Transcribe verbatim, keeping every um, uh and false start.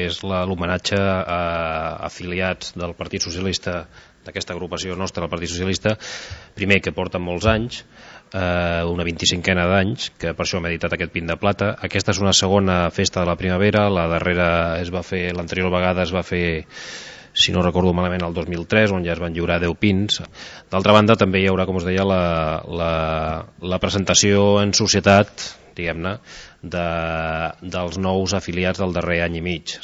És l'homenatge a afiliats del Partit Socialista, d'aquesta agrupació nostra del Partit Socialista, primer que porten molts anys, eh, una vint-i-cinquena d'anys, que per això hem editat aquest pin de plata. Aquesta és una segona festa de la primavera, la darrera es va fer, l'anterior vegada es va fer, si no recordo malament, el dos mil tres, on ja es van lliurar deu pins. D'altra banda, també hi haurà, com us deia, la, la, la presentació en societat, diguem-ne, de, dels nous afiliats del darrer any i mig.